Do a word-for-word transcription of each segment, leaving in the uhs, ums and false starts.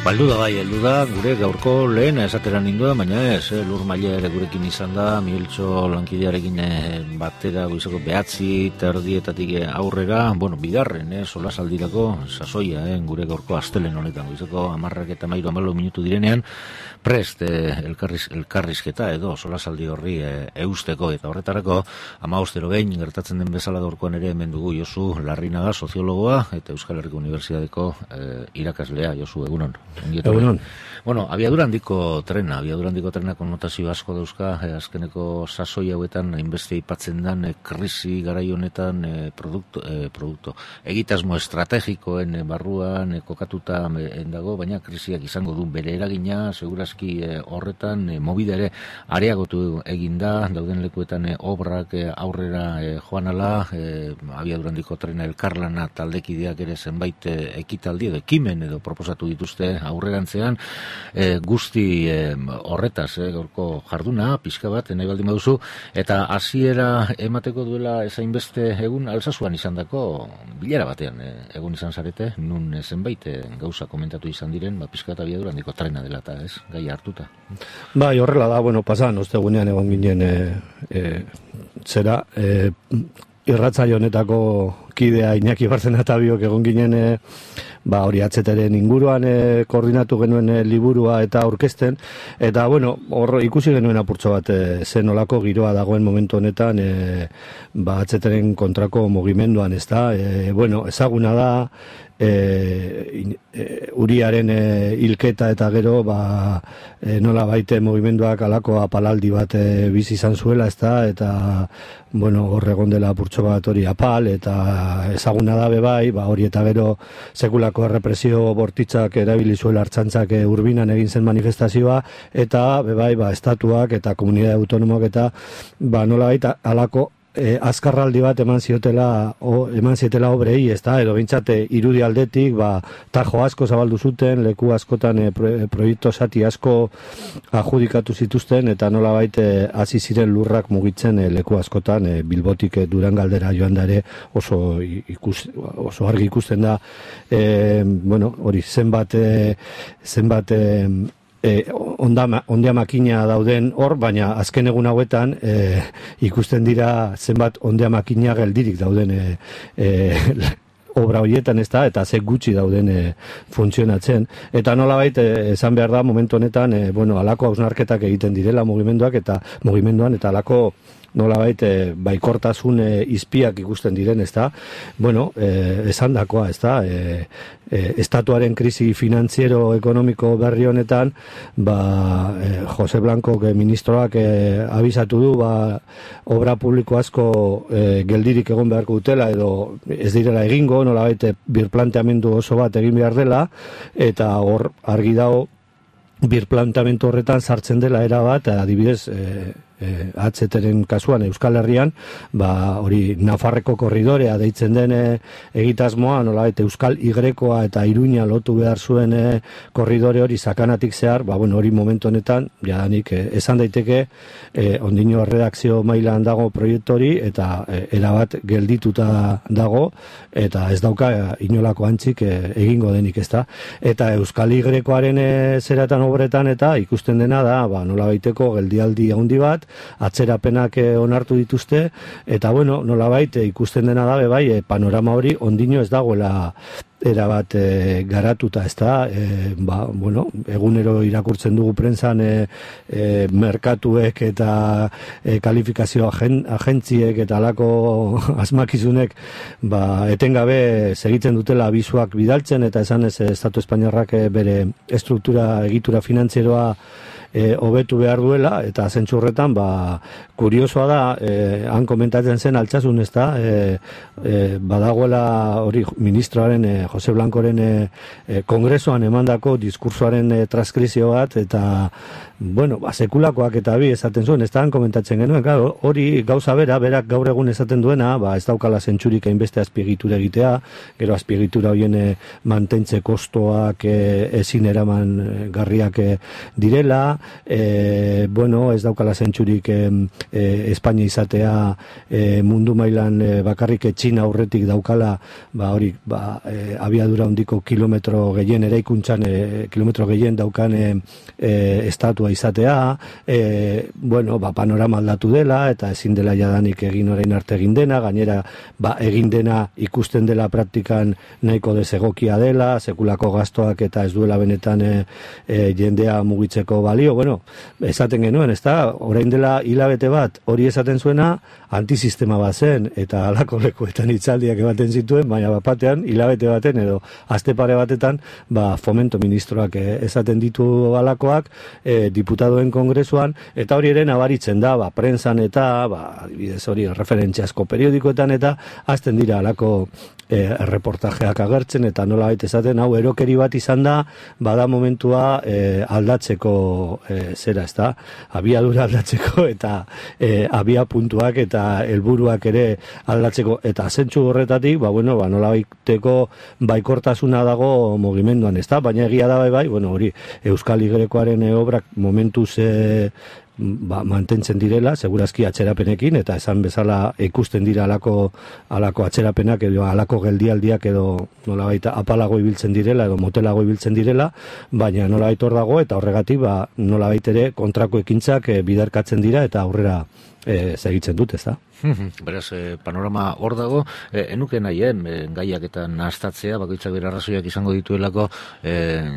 Baldu da bai, heldu da, gure gaurko lehen esateran nindua, baina ez, eh, Lur Maila ere gurekin izan da, Migueltxo lankidearekin eh, batera goizeko behatzi terdietatik aurrera, bueno, bigarren, eh, solasaldirako sasoia, eh, gure gaurko astelehen honetan, goizeko amarrak eta mairu amalo minutu direnean, prest eh, elkarriz, elkarrizketa edo solasaldi horri eh, eusteko, eta horretarako amabostero behin gertatzen den bezala gaurkoan ere hemen dugu Josu Larrinaga, soziologoa, eta Euskal Herriko Unibertsitateko eh, irakaslea. Josu, egunon. Egunon. Bueno, abiadura handiko trena, abiadura handiko trena konnotazio asko dauzka, eh, azkeneko sasoi hauetan, hainbeste aipatzen den, eh, krisi garai honetan, eh, produkto, eh, produkto, egitasmo estrategikoen eh, barruan, eh, kokatuta eh, dago, baina krisiak izango du bere eragina, segurazki eh, horretan, eh, mobide ere areagotu eginda, dauden lekuetan eh, obrak eh, aurrera eh, joan ala, eh, abiadura handiko trena elkarlana taldekideak ere zenbait eh, ekitaldi edo ekimen edo proposatu dituzte aurrerantzean, e, guzti e, horretaz, e, gaurko jarduna, pixka bat, nahi baldin baduzu, eta hasiera emateko duela ezainbeste egun Alsasuan izandako bilera batean e, egun izan zarete, nun zenbait e, gauza komentatu izan diren, ba, pixka eta abiadura handiko trena dela eta ez, gai hartuta. Bai, horrela da, bueno, pasan, ostegunean egon ginen e, e, zera, e, irratzaio honetako kidea Iñaki Barzenata biok egon ginen e, ba hori atzeteren inguruan e, koordinatu genuen e, liburua eta aurkezten, eta bueno, hor ikusi genuen apurtxo bat e, zen olako giroa dagoen momentu honetan e, ba atzeteren kontrako mugimenduan, ez da, e, bueno, ezaguna da E, e, Uriaren e, hilketa eta gero ba, e, nola baite mugimenduak alako apalaldi bat e, bizi izan zuela, ez da, eta bueno, hor egon dela apurtxo bat hori apal, eta ezaguna da bebai, ba, hori eta gero sekulako errepresio bortitzak erabili zuela Artxantzak e, Urbinan egin zen manifestazioa, eta bebai, ba, estatuak eta komunidade autonomok eta ba, nola baita alako E, azkarraldi bat eman ziotela o, eman ziotela obrei, ez da, edo bintzate irudi aldetik, ba, tajo asko zabaldu zuten, leku askotan e, pro, e, proiektu zati asko adjudikatu zituzten, eta nola baite hasi ziren lurrak mugitzen e, leku askotan, e, Bilbotik e, Durangaldera joan dare oso, ikus, oso argi ikusten da, e, bueno, hori zenbat e, zenbat e, E, onda, ondia makina dauden hor, baina azken egun hauetan e, ikusten dira zenbat ondia makina geldirik dauden e, e, obra horietan, ez da, eta ze gutxi dauden e, funtzionatzen. Eta nolabait e, esan behar da momentu honetan, e, bueno, alako hausnarketak egiten direla mugimenduak eta mugimenduan, eta alako nolabait e, baikortasun e, izpiak ikusten diren, ez da, bueno, e, esan dakoa, ez da, e, e, estatuaren krisi finantziero ekonomiko berri honetan, ba, e, Jose Blanco e, ministroak e, abisatu du, ba, obra publiko asko e, geldirik egon beharko dutela, edo ez direla egingo, nolabait e, birplanteamendu oso bat egin behar dela, eta hor argi dago birplanteamendu horretan sartzen dela era bat, adibidez, e, E, atzeteren kasuan Euskal Herrian, ba, hori Nafarreko korridorea deitzen den e, egitasmoa, nolabait Euskal Igrekoa eta Iruña lotu behar zuen e, korridore hori sakanatik zehar, ba, bueno, hori momentu honetan, jadanik, e, esan daiteke, e, ondino redakzio mailan dago proiektu hori, eta e, erabat geldituta dago, eta ez dauka e, inolako antzik e, egingo denik, ez da. Eta Euskal Igrekoaren e, zeratan obretan, eta ikusten dena da, ba, nolabaiteko geldialdi handi bat, atzerapenak eh, onartu dituzte, eta bueno, nolabait eh, ikusten dena da, bai, eh, panorama hori ondino ez dagoela erabat e, garatuta, ez da, e, ba, bueno, egunero irakurtzen dugu prentsan e, e, merkatuek eta e, kalifikazio agen, agentziek eta alako asmakizunek ba, etengabe segitzen dutela abizuak bidaltzen, eta esan ez Estatu Espainiarrak e, bere estruktura egitura finantzieroa E, hobetu behar duela, eta zentzurretan, ba, kuriosoa da, e, han komentatzen zen altsasun, ez da, e, e, badagoela hori ministroaren, e, Jose Blancoren e, e, kongresoan emandako diskursoaren e, transkrizio bat, eta, bueno, ba, sekulakoak eta bi esaten zuen, ez da, han komentatzen genuen, claro, hori gauza bera, berak gaur egun esaten duena, ba, ez daukala zentzurik hainbeste azpiegitura egitea, gero azpiegitura horien e, mantentze kostoak e, ezin eraman garriak e, direla, E, bueno, ez daukala zentzurik e, e, Espainia izatea e, mundu mailan e, bakarrik Txina aurretik daukala ba, hori, ba, e, abiadura handiko kilometro gehien eraikuntzan, e, kilometro gehien daukan e, e, estatua izatea, e, bueno, ba, panorama aldatu dela, eta ezin dela jadanik egin orain arte egin dena, gainera ba, egin dena ikusten dela praktikan nahiko desegokia dela, sekulako gastoak eta ez duela benetan e, e, jendea mugitzeko balio, bueno, esaten genuen, ez da, orain dela hilabete bat, hori esaten zuena, antisistema bat zen, eta halako lekuetan hitzaldiak ematen zituen, baina bapatean, hilabete baten edo aste pare batetan, ba, fomento ministroak eh, esaten ditu halakoak, eh, diputadoen kongresuan, eta hori ere nabaritzen da, ba, prensan eta, ba, adibidez hori, referentziasko periodikoetan eta, azten dira halako eh, reportajeak agertzen, eta nola baita esaten, hau erokeri bat izan da, bada momentua eh, aldatzeko eh, zera, ez da, abiadura aldatzeko, eta eh, abia puntuak eta helburuak ere aldatzeko, eta zentsu horretatik, ba, bueno, ba, nola baiteko baikortasuna dago mugimenduan, ez da, baina egia da bai, bai, bueno, hori, Euskal Igrekoaren obrak momentuz e, ba, mantentzen direla, segurazki atzerapenekin, eta esan bezala ikusten dira alako, alako atzerapenak edo alako geldialdiak edo nola baita apalago ibiltzen direla edo motelago ibiltzen direla, baina nola baita hor dago, eta horregatik, ba, nola baita ere kontrako ekintzak e, bidarkatzen dira, eta aurrera E, segitzen dut, ez da? Beraz, e, panorama hor dago, e, enuke nahi, eh, gaiak eta nahaztatzea, bakoitzak bere arrazoiak izango dituelako, e,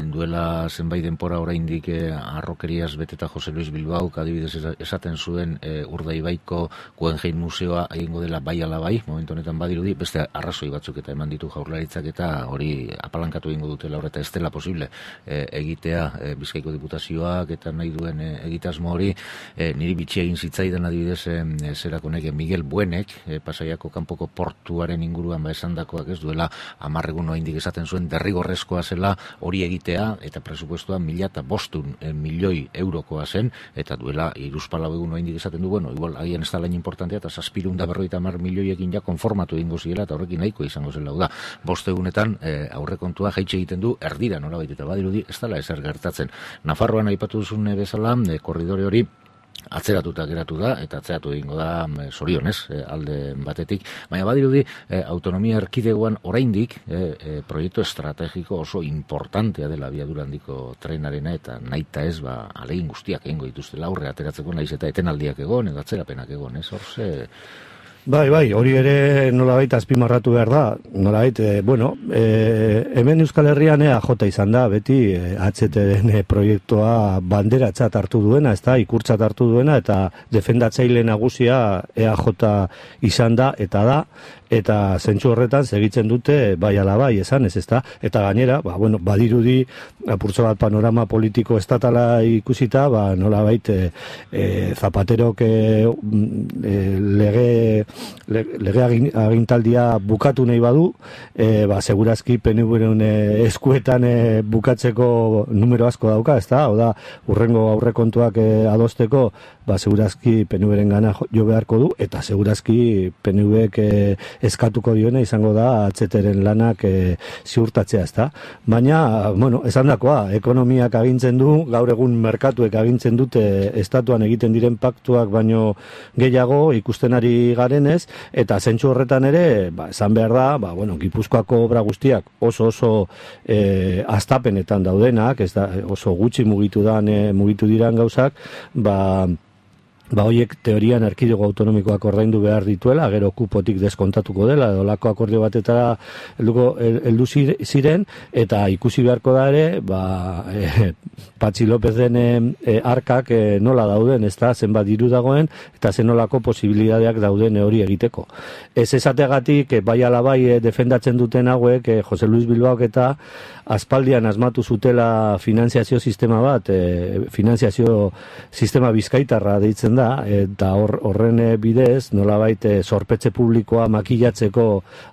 duela zenbait denpora oraindik e, arrokeriaz beteta Jose Luis Bilbao, adibidez esaten zuen e, Urdaibaiko Guggenheim Museoa egingo dela bai ala bai, momentu honetan badirudi, beste arrazoi batzuk eta eman ditu Jaurlaritzak eta hori apalankatu egingo dutela horreta ez dela posible e, egitea e, Bizkaiko Diputazioak eta nahi duen e, egitasmo hori, e, niri bitxi egin zitzaidan adibidez E, zerako neke Miguel Buenek, e, Pasaiako kanpoko portuaren inguruan ba esandakoak ez duela amarregun oraindik esaten zuen derrigorrezkoa zela hori egitea, eta presupuestoa mila eta bostun e, milioi eurokoa zen, eta duela hiruzpalau egun oraindik esaten du, bueno, igual agian ez da lain importantea, eta zazpirun da berroita hamar milioiekin ja konformatu egingo ziela, eta horrekin nahiko izango zela, da, bost egunetan e, aurrekontua jaitxe egiten du erdira nolabait, eta badirudi ez dela ezer gertatzen. Nafarroan aipatu duzun bezala, e, korridore hori atzeratuta geratu da, eta atzeratu egingo da zorionez, e, alde batetik, baina badirudi e, autonomia erkidegoan oraindik e, e, proiektu estrategiko oso importantea dela abiadura handiko trenarena, eta nahita ez, ba, alegin guztiak egingo dituztela aurre ateratzeko, naiz eta etenaldiak egon, edo atzerapenak egon, ez, horze... Bai, bai, hori ere nolabait azpimarratu behar da, nolabait, e, bueno, e, hemen Euskal Herrian E A J izan da, beti e, H T den proiektua banderatzat hartu duena, ez da, ikurtzat hartu duena, eta defendatzaile nagusia E A J izan da, eta da, eta zentsu horretan segitzen dute bai ala bai esan, ez ezta, eta gainera, ba, bueno, badirudi apurtzo bat panorama politiko estatala ikusita, ba, nolabait e, e, Zapaterok e, e, lege lege agintaldia bukatu nahi badu, e, ba, segurazki P N V-ren eskuetan e, bukatzeko numero asko dauka, ez da, oda, urrengo aurrekontuak e, adosteko, ba, segurazki P N V-ren gana jo beharko du, eta segurazki P N V-ek e, eskatuko diona izango da H T-ren lanak e, ziurtatzea, ez da. Baina, bueno, esan dakoa, ekonomiak agintzen du, gaur egun merkatuek agintzen dute estatuan egiten diren paktuak baino gehiago ikusten ari garenez, eta zentsu horretan ere, ba, esan behar da, ba, bueno, Gipuzkoako obra guztiak oso oso e, astapenetan daudenak, ez da, oso gutxi mugitu dan, e, mugitu diran gauzak, ba, ba hoiek teorian erkidego autonomikoak ordaindu behar dituela, gero kupotik deskontatuko dela, edo lako akordio batetara helduko heldu ziren, eta ikusi beharko da ere, ba, e, Patxi Lopezen e, arkak e, nola dauden, ez da, zenbat diru dagoen, eta zenolako posibilidadeak dauden hori egiteko. Ez esategatik, e, bai ala bai e, defendatzen duten hauek, e, Jose Luis Bilbaok eta aspaldian asmatu zutela finanziazio sistema bat, e, finanziazio sistema bizkaitarra deitzen da, eta hor, horren bidez, nolabait e, zorpetze publikoa makilatzeko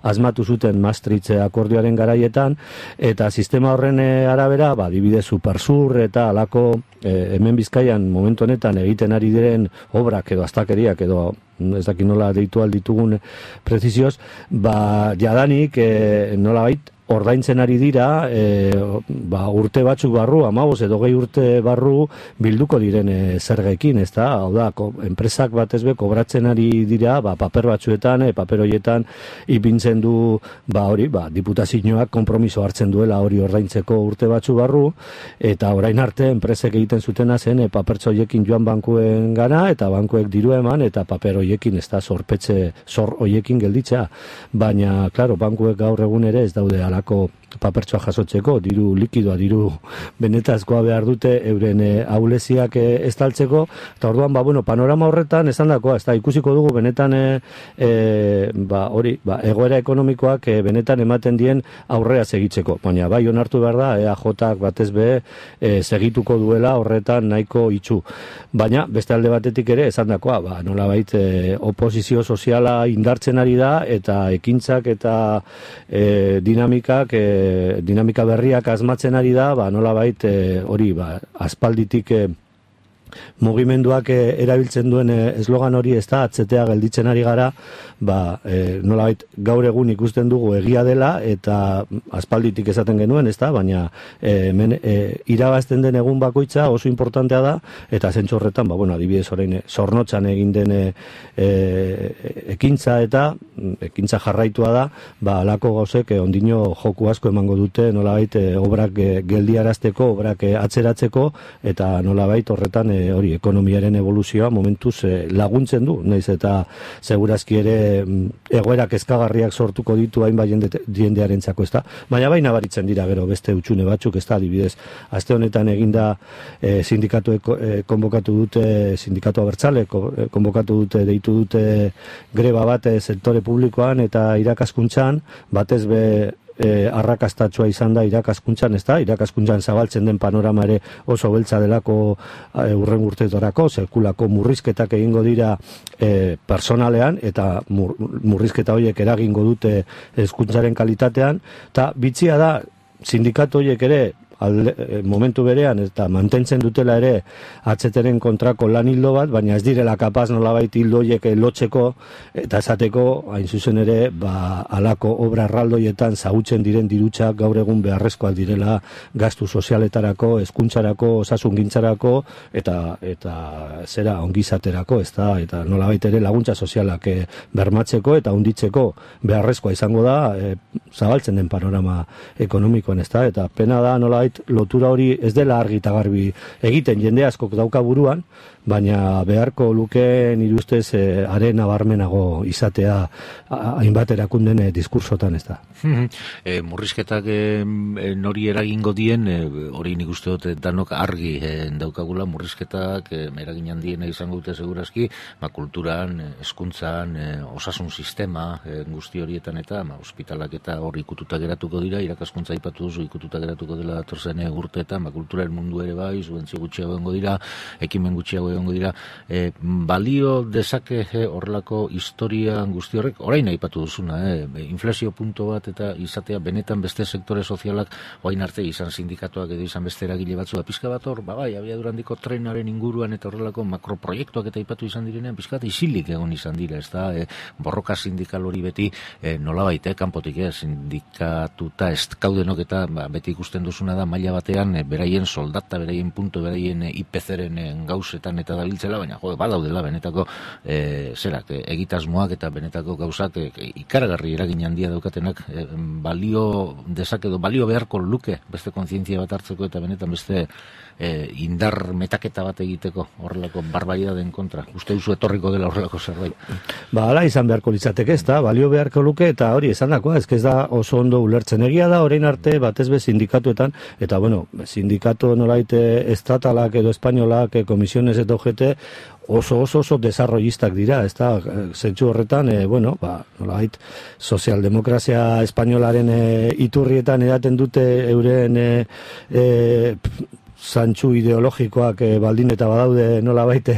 asmatu zuten Maastricht akordioaren garaietan, eta sistema horren arabera, ba, dibide Supersur eta alako e, hemen Bizkaian momentu honetan egiten ari diren obrak edo astakeriak edo ez dakit nola deitu alditugun prezizioz, ba, jadanik e, nolabait ordaintzen ari dira, e, ba, urte batzuk barru, hamabost edo gehi urte barru bilduko diren e, zergekin, ez da? Hau da, ko, enpresak batez be kobratzen ari dira, ba, paper batzuetan, e, paper horietan ipintzen du, ba, hori, ba, diputazioak konpromiso hartzen duela hori ordaintzeko urte batzu barru, eta orain arte enpresek egiten zutena zen, e, papertxo horiekin joan bankuen gana, eta bankuek diru eman, eta paper horiekin, ez da, zorpetze, zor horiekin gelditzea. Baina, klaro, bankuek gaur egun ere ez daude alako papertsoa jasotzeko, diru likidoa, diru benetazkoa behar dute euren e, ahuleziak e, estaltzeko, eta orduan, ba, bueno, panorama horretan esan dakoa, ez da, ikusiko dugu benetan e, e, ba, hori, ba, egoera ekonomikoak e, benetan ematen dien aurrea segitzeko, baina bai onartu behar da, E A Jak batez be e, segituko duela horretan nahiko itxu, baina beste alde batetik ere esan dakoa, ba, nolabait e, oposizio soziala indartzen ari da, eta ekintzak eta e, dinamikak e, dinamika berriak asmatzen ari da, ba, nolabait hori, ba, aspalditik e, mugimenduak e, erabiltzen duen e, eslogan hori, ez da, atzetea gelditzen ari gara, ba, e, nolabait gaur egun ikusten dugu egia dela, eta aspalditik esaten genuen, ez da, baina e, men, e, irabazten den egun bakoitza oso importantea da, eta zentzu horretan, ba, bueno, adibidez orain, zornotzan egin den e, e, ekintza eta ekintza jarraitua da, ba, alako gauzek e, ondino joku asko emango dute, nolabait e, obrak e, geldiarazteko, obrak e, atzeratzeko, eta nolabait horretan e, hori ekonomiaren evoluzioa momentuz e, laguntzen du, naiz eta segurazki ere egoerak kezkagarriak sortuko ditu hainbat jendearentzako, ez da. Baina bai nabaritzen dira gero beste utxune batzuk, ez da, adibidez, aste honetan eginda e, sindikatu e, konbokatu dute, sindikatu abertzale konbokatu dute, deitu dute greba bat e, sektore publikoan eta irakaskuntzan, batez be E, arrakastatsua izan da irakaskuntzan, ez da, irakaskuntzan zabaltzen den panorama ere oso beltza delako e, urren urteetarako, sekulako murrizketak egingo dira e, personalean, eta mur, murrizketa horiek eragingo dute hezkuntzaren kalitatean, eta bitxia da, sindikatu horiek ere, alde, momentu berean, eta mantentzen dutela ere atzeteren kontrako lan hildo bat, baina ez direla kapaz nolabait hildo horiek lotzeko, eta esateko, hain zuzen ere, ba, alako obra erraldoietan zagutzen diren dirutxak gaur egun beharrezkoak direla gastu sozialetarako, hezkuntzarako, osasungintzarako, eta eta zera ongizaterako, ez da, eta nolabait ere laguntza sozialak e, bermatzeko eta hunditzeko beharrezkoa izango da, e, zabaltzen den panorama ekonomikoan, ez da, eta pena da nolabait lotura hori ez dela argi eta garbi egiten, jende askok dauka buruan, baina beharko luke nire ustez e, are nabarmenago izatea hainbat erakunden e, diskursotan, ez da. e, murrizketak e, nori eragingo dien, e, hori nik uste dut danok argi e, daukagula murrizketak e, eragin handiena izango dute segurazki, ba, kulturan, hezkuntzan, e, osasun sistema e, guzti horietan eta ma, ospitalak eta hori ikututa geratuko dira, irakaskuntza aipatu duzu ikututa geratuko dela datorzen urteetan, ba, kulturaren mundu ere bai, subentzio gutxiago egongo dira, ekimen gutxiago egongo dira, e, balio dezake e, horrelako historia guzti horrek, orain aipatu duzuna, e, inflazio punto bat eta izatea benetan beste sektore sozialak orain arte izan sindikatuak edo izan beste eragile batzu da pizka bat hor, ba bai, abiadura handiko trenaren inguruan eta horrelako makroproiektuak eta aipatu izan direnean pizka bat isilik egon izan dira, ez da, e, borroka sindikal hori beti e, nolabait, e, kanpotik, e, sindikatuta ez kaudenok eta ba, beti ikusten duzuna da maila batean e, beraien soldata, beraien punto, beraien e, I P C-ren e, gauzetan eta dabiltzela, baina jo, badaudela benetako e, zerak, e, egitasmoak eta benetako gauzak e, ikaragarri eragin handia daukatenak e, balio dezakedo, balio beharko luke beste kontzientzia bat hartzeko eta benetan beste e, indar metaketa bat egiteko horrelako barbaridadeen kontra. Uste duzu etorriko dela horrelako zerbait? Ba, ala izan beharko litzateke, ez da, balio beharko luke eta hori esan dakoa, ez da oso ondo ulertzen. Egia da, orain arte batez be sindikatuetan, eta bueno, sindikatu nolaite estatalak edo espainolak, komisiones eta ojete, oso oso oso desarrollistak dira, ez da, zentzu horretan, e, bueno, ba, nolait, sozialdemokrazia espainolaren e, iturrietan edaten dute euren e, e, zantzu ideologikoak e, baldin eta badaude nola baite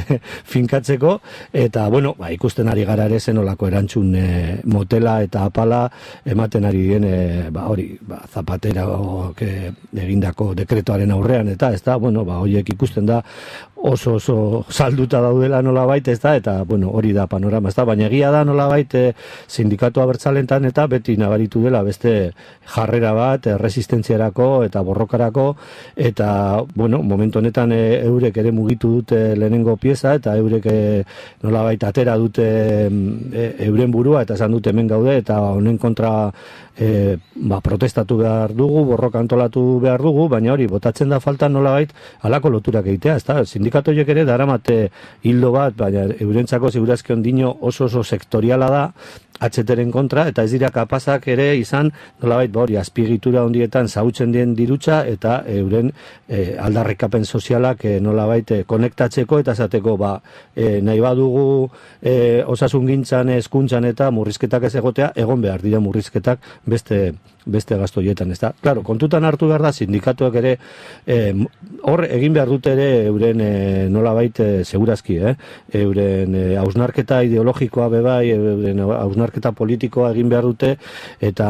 finkatzeko, eta bueno, ba, ikusten ari gara ere zenolako erantzun e, motela eta apala ematen ari dien e, ba, hori, ba, Zapatera e, egindako dekretoaren aurrean, eta ez da, bueno, ba, horiek ikusten da oso oso salduta daudela nolabait, ez da, eta bueno, hori da panorama, ez da, baina egia da nolabait e, sindikatu abertzalentan eta beti nabaritu dela beste jarrera bat, e, resistentziarako eta borrokarako, eta bueno, momentu honetan e, eurek ere mugitu dute lehenengo pieza, eta eurek e, nolabait atera dute e, euren burua, eta esan dute hemen gaude, eta honen kontra e, ba, protestatu behar dugu, borroka antolatu behar dugu, baina hori, botatzen da falta nolabait halako loturak egitea, ez da, sindikatoiek ere daramate hildo bat, baina eurentzako segurazki ondino oso oso sektoriala da, atxeteren kontra, eta ez dira kapazak ere izan, nolabait, ba hori, azpiegitura ondietan zautzen dien dirutza, eta euren e, aldarrikapen sozialak e, nolabait e, konektatzeko, eta zateko, ba, e, nahi badugu e, osasun gintzan, hezkuntzan eta murrizketak ez egotea, egon behar dira murrizketak beste beste gastoietan, ez da. Claro, kontutan hartu behar da, sindikatuak ere, eh, hor egin behar dute ere euren eh, nolabait eh, segurazki, eh? euren eh, hausnarketa ideologikoa bebai, euren hausnarketa politikoa egin behar dute, eta,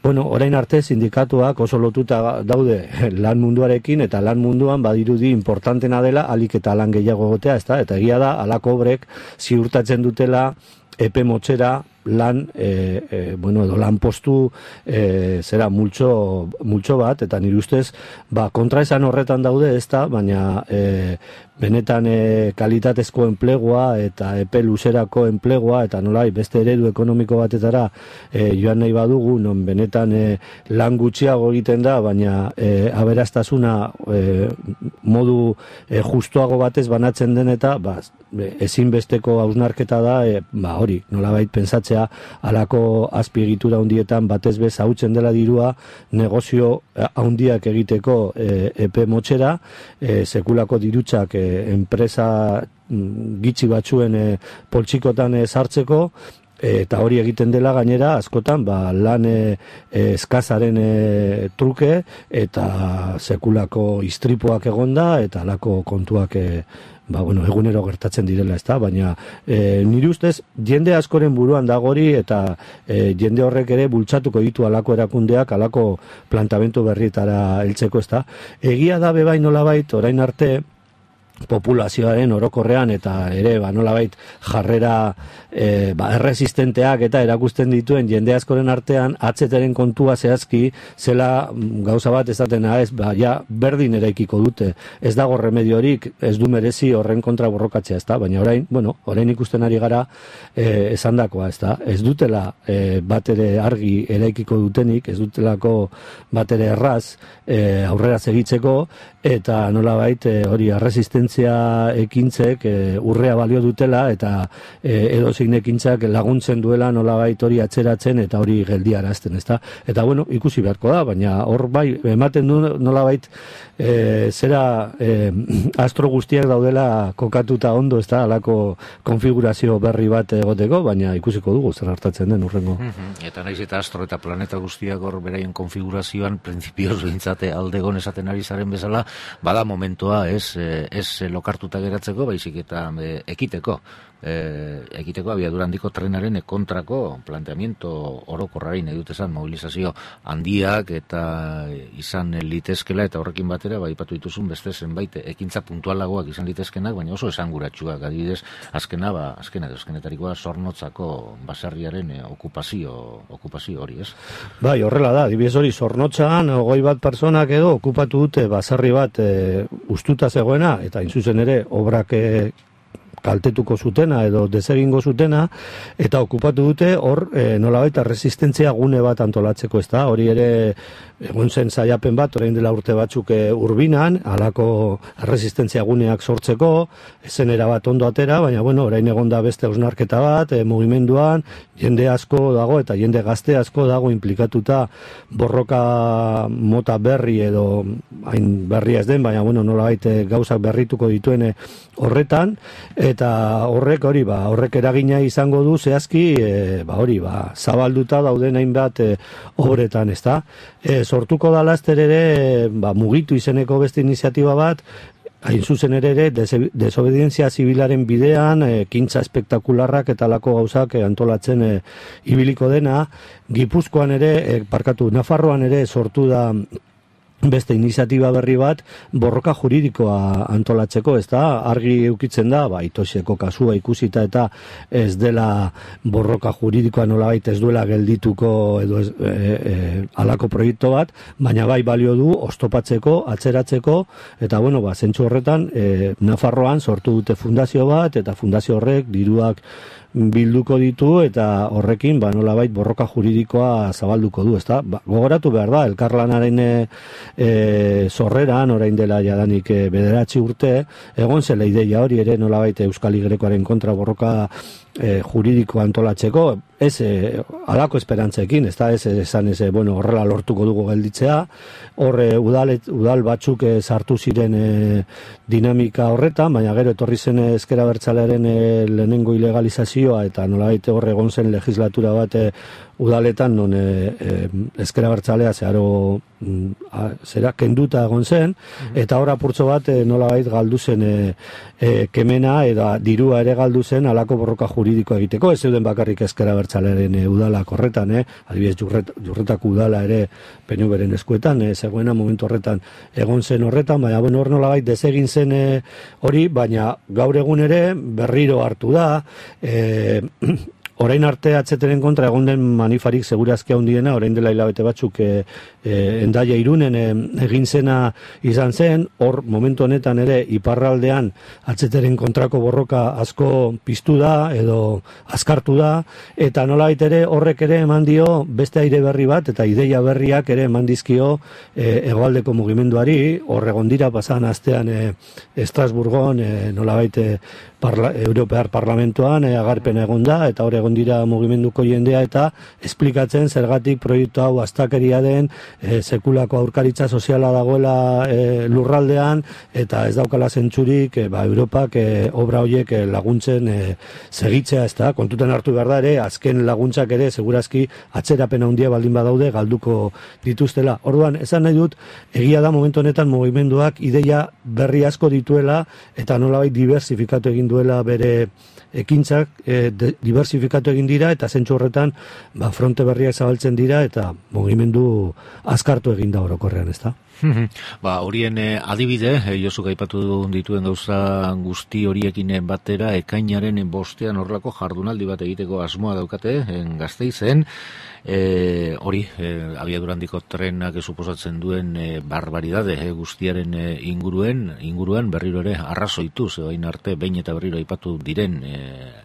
bueno, orain arte sindikatuak oso lotuta daude lan munduarekin, eta lan munduan badirudi importantena dela, alik eta lan gehiago gotea, ez da, eta egia da, alako obrek ziurtatzen dutela, epe motxera, lan, e, e, bueno, edo lan postu e, zera multxo, multxo bat, eta nire ustez, ba, kontraesan horretan daude ez da, baina e, benetan e, kalitatezko enplegua eta epe luzerako enplegua, eta nolai beste eredu ekonomiko batetara e, joan nahi badugu, non benetan e, lan gutxiago egiten da, baina e, aberastasuna e, modu e, justuago batez banatzen den, eta ba, ezinbesteko hausnarketa da, e, ba, hori, nolabait pentsatzea halako azpiegitura handietan batez bez hautzen dela dirua negozio handiak egiteko e, epe motxera, e, sekulako dirutzak e, enpresa gitxi batzuen e, poltsikotan e, sartzeko, eta hori egiten dela gainera askotan ba, lan e, eskazaren e, truke, eta sekulako istripuak egonda, eta halako kontuak e, ba, bueno, egunero gertatzen direla, ezta, baina e, nire ustez jende askoren buruan dagori, eta e, jende horrek ere bultzatuko ditu alako erakundeak, alako plantamentu berrietara heltzeko, ezta. Egia da bebai nolabait orain arte populazioaren orokorrean eta ere ba nolabait jarrera e, ba, erresistenteak eta erakusten dituen jende askoren artean atzeteren kontua zehazki zela gauza bat ezatena ez, ba ja berdin eraikiko dute, ez dago remediorik, ez du merezi horren kontra borrokatzea, ezta, baina orain, bueno, orain ikusten ari gara e, esandakoa, ezta, ez dutela e, bat ere argi eraikiko dutenik, ez dutelako bat ere erraz e, aurrera segitzeko, eta nolabait e, hori erresistentzia ekintzek e, urrea balio dutela, eta e, edozein ekintzak laguntzen duela nolabait hori atzeratzen eta hori geldiarazten, ezta? Eta bueno, ikusi beharko da, baina hor bai ematen du nolabait e, zera e, astro guztiak daudela kokatuta ondo, ezta, halako konfigurazio berri bat egoteko, baina ikusiko dugu zer hartatzen den urrengo. Mm-hmm. Eta naiz eta astro eta planeta guztiak hor beraien konfigurazioan printzipioz behintzate aldegon esaten ari zaren bezala, bada momentua ez, ez lokartuta geratzeko, baizik eta e, ekiteko. E, ekiteko abiadura handiko trenaren kontrako planteamiento orokorrari nahi dut esan, mobilizazio handiak eta izan litezkela, eta horrekin batera bai aipatu dituzun beste zenbait ekintza puntualagoak izan litezkenak, baina oso esanguratsuak, adibidez azkena, ba, azkena, azkenetarikoa Zornotzako baserriaren e, okupazio, okupazio hori, ez? Bai, horrela da, adibidez hori Zornotzan hogei bat personak edo okupatu dute baserri bat e, ustuta zegoena, eta inzuzen ere obrak e, kaltetuko zutena edo desegingo zutena, eta okupatu dute hor e, nolabait resistentzia gune bat antolatzeko, ez da, hori ere egon zen saiapen bat, orain dela urte batzuk e, Urbinan, halako resistentzia guneak sortzeko, ezen erabat ondo atera, baina bueno, orain egon da beste hausnarketa bat, e, mugimenduan, jende asko dago eta jende gazte asko dago implikatuta borroka mota berri edo hain berria ez den, baina bueno, nolabait e, gauzak berrituko dituen e, horretan, eta horrek hori ba horrek eragina izango du zehazki e, ba hori ba zabalduta dauden hainbat e, obretan, ezta. E, sortuko da laster ere ba mugitu izeneko beste iniziatiba bat, hain zuzen ere ere desobedientzia zibilaren bidean, e, kintza espektakularrak eta lako gauzak e, antolatzen e, ibiliko dena. Gipuzkoan ere, e, parkatu, Nafarroan ere sortu da beste iniziatiba berri bat borroka juridikoa antolatzeko, ez da, argi eukitzen da, ba, Itoseko kasua ikusita eta ez dela borroka juridikoa nolabait ez duela geldituko edo ez, e, e, alako proiektu bat, baina bai balio du oztopatzeko, atzeratzeko, eta bueno, ba, zentzu horretan, e, Nafarroan sortu dute fundazio bat, eta fundazio horrek diruak bilduko ditu eta horrekin ba nolabait borroka juridikoa zabalduko du, ezta? Ba, gogoratu behar da elkarlanaren e, e, sorreran orain dela jadanik e, bederatzi urte egon zela ideia hori ere nolabait Euskal Igrekoaren kontra borroka e, juridikoa antolatzeko, ez e, alako esperantzekin, ez da, ez esan ez, bueno, horrela lortuko dugu gelditzea, horre udal, udal batzuk e, sartu ziren e, dinamika horretan, baina gero etorri zen ezker abertzalearen e, lehenengo ilegalizazioa eta nolabait horre egon zen legislatura bat e, udaletan non e, e, ezker abertzalea zeharo a, zera kenduta egon zen, eta hor apurtzo bat e, nolabait galdu zen e, e, kemena eta dirua ere galdu zen alako borroka juridiko egiteko, ez zeuden bakarrik ezker abertzalearen e, udalak horretan, eh? Adibidez jurret, jurretako udala ere P N Vren eskuetan, e, zegoena momentu horretan egon zen horretan, baina bueno, hor nolabait desegin zen e, hori, baina gaur egun ere berriro hartu da, e, orain arte atzeteren kontra egon den manifarik segurazki handiena, orain dela hilabete batzuk e, e, Hendaia Irunen e, egin zena izan zen, hor momentu honetan ere iparraldean atzeteren kontrako borroka asko piztu da edo azkartu da, eta nolabait ere horrek ere eman dio beste aire berri bat eta ideia berriak ere eman dizkio e, hegoaldeko mugimenduari, hor egon dira pasan astean e, Estrasburgon e, nolabait e, parla, Europear Parlamentoan e, agarpen egon da, eta hor egon dira mugimenduko jendea eta esplikatzen zergatik proiektu hau astakeria den, e, sekulako aurkaritza soziala dagoela e, lurraldean, eta ez daukala zentzurik e, ba, Europak e, obra horiek e, laguntzen e, segitzea, ez da, kontuten hartu behar da ere, azken laguntzak ere, segurazki atzerapen handia baldin badaude, galduko dituztela. Orduan, esan nahi dut, egia da momentu honetan mugimenduak ideia berri asko dituela, eta nolabait diversifikatu egin duela bere ekintzak e, diversifikatu egin dira eta zentzu horretan ba, fronte berriak zabaltzen dira eta mugimendu azkartu egin da orokorrean, ez da? Ba, horien eh, adibide, eh, Josuk aipatu dituen gauza guzti horiekin batera, ekainaren bostean horrelako jardunaldi bat egiteko asmoa daukate, en Gasteizen, E, hori, e, abiadura handiko trenak suposatzen duen e, barbaridade e, guztiaren e, inguruen, inguruan berriro ere arrazoitu, zeoain arte behin eta berriro aipatu diren e,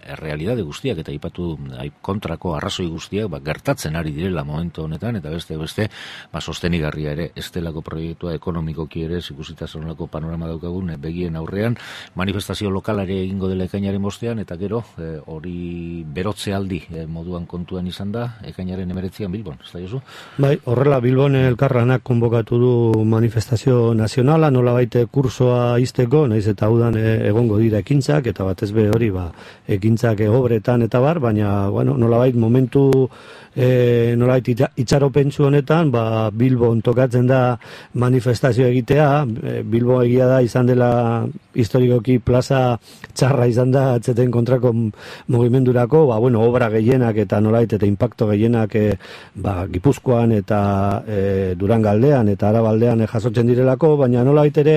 errealidade guztiak eta aipatu aip, kontrako arrazoi guztiak ba, gertatzen ari direla momentu honetan, eta beste beste ba, sostenigarria ere estelako proiektua ekonomikoki ere ikusita zonelako panorama daukagun e, begien aurrean, manifestazio lokalare egingo dela ekainaren bostean, eta gero e, hori berotze aldi e, moduan kontuan izan da, ekainaren emeretzian Bilbon, ez da Josu? Bai, horrela Bilbon elkarlanak konbokatu du manifestazio nazionala, nola baite kursoa izteko, naiz eta udan e, egongo dira ekintzak, eta batez be hori ba, ekintzak obretan eta bar, baina bueno, nola bait momentu e, nola bait itxaropentsu honetan, ba, Bilbon tokatzen da manifestazio egitea, e, Bilbo egia da izan dela historikoki plaza txarra izan da atzeten kontrako mugimendurako, ba, bueno, obra gehienak eta nola bait eta impacto gehienak ba, Gipuzkoan eta e, Durangaldean eta Arabaldean e, jasotzen direlako, baina nolabait ere,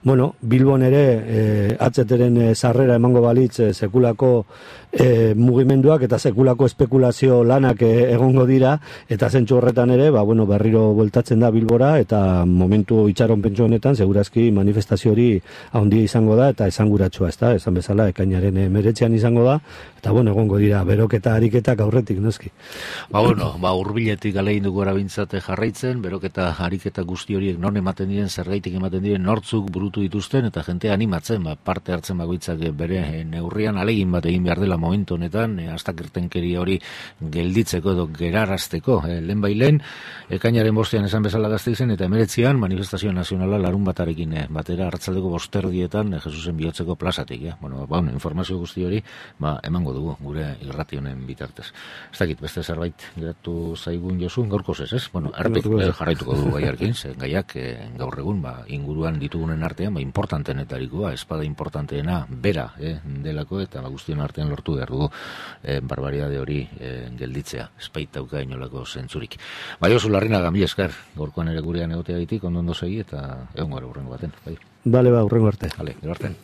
bueno, Bilbon ere e, atzeteren e, sarrera emango balitz e, sekulako e, mugimenduak eta sekulako espekulazio lanak e, egongo dira, eta zentzu horretan ere, ba, bueno, berriro bueltatzen da Bilbora, eta momentu itxaron pentsu honetan, segurazki manifestazio hori handia izango da, eta esanguratsua, ez da, esan bezala, ekainaren emeretzean izango da, eta bueno, egongo dira, beroketa ariketak aurretik, noski. Ba, bueno, ba, urbiletik alein dugu arabintzate jarraitzen, beroketa ariketa guzti horiek non ematen diren, zergaitik ematen diren, nortzuk burutu dituzten, eta jente animatzen, ba, parte hartzen bakoitzak bere neurrian alegin bat egin behar dela momentu honetan, e, astakirtenkeria hori gelditzeko edo gerarazteko, e, lehen bailen, ekainaren bostean esan bezala Gasteizen, eta emeretzian manifestazio nazionala larun batarekin, e, batera hartzaldeko bosterdietan, e, Jesusen bihotzeko plazatik, ja? Bueno, ba, bueno, informazio guzti hori, ba, emango dugu, gure irrati honen bitartez. Ez dakit, beste zerbait geratu zaigun Josu, gaurko ez, ez? Bueno, errepik eh, jarraituko dugu gaiarkin, ze gaiak eh, gaur egun, ba, inguruan ditugunen artean, ba, importantenetarikoa, espada importanteena bera, eh, delako, eta ba, guztion artean lortu lortu behar dugu e, barbaridade hori e, gelditzea, espaitauka inolako zentzurik. Bai, oso Larrinaga, mila esker, gorkoan ere gurean egotea ditik, ondo ondo segi, eta egon gara urrengo baten. Bai. Bale, ba, urrengo arte. Bale, gero arte.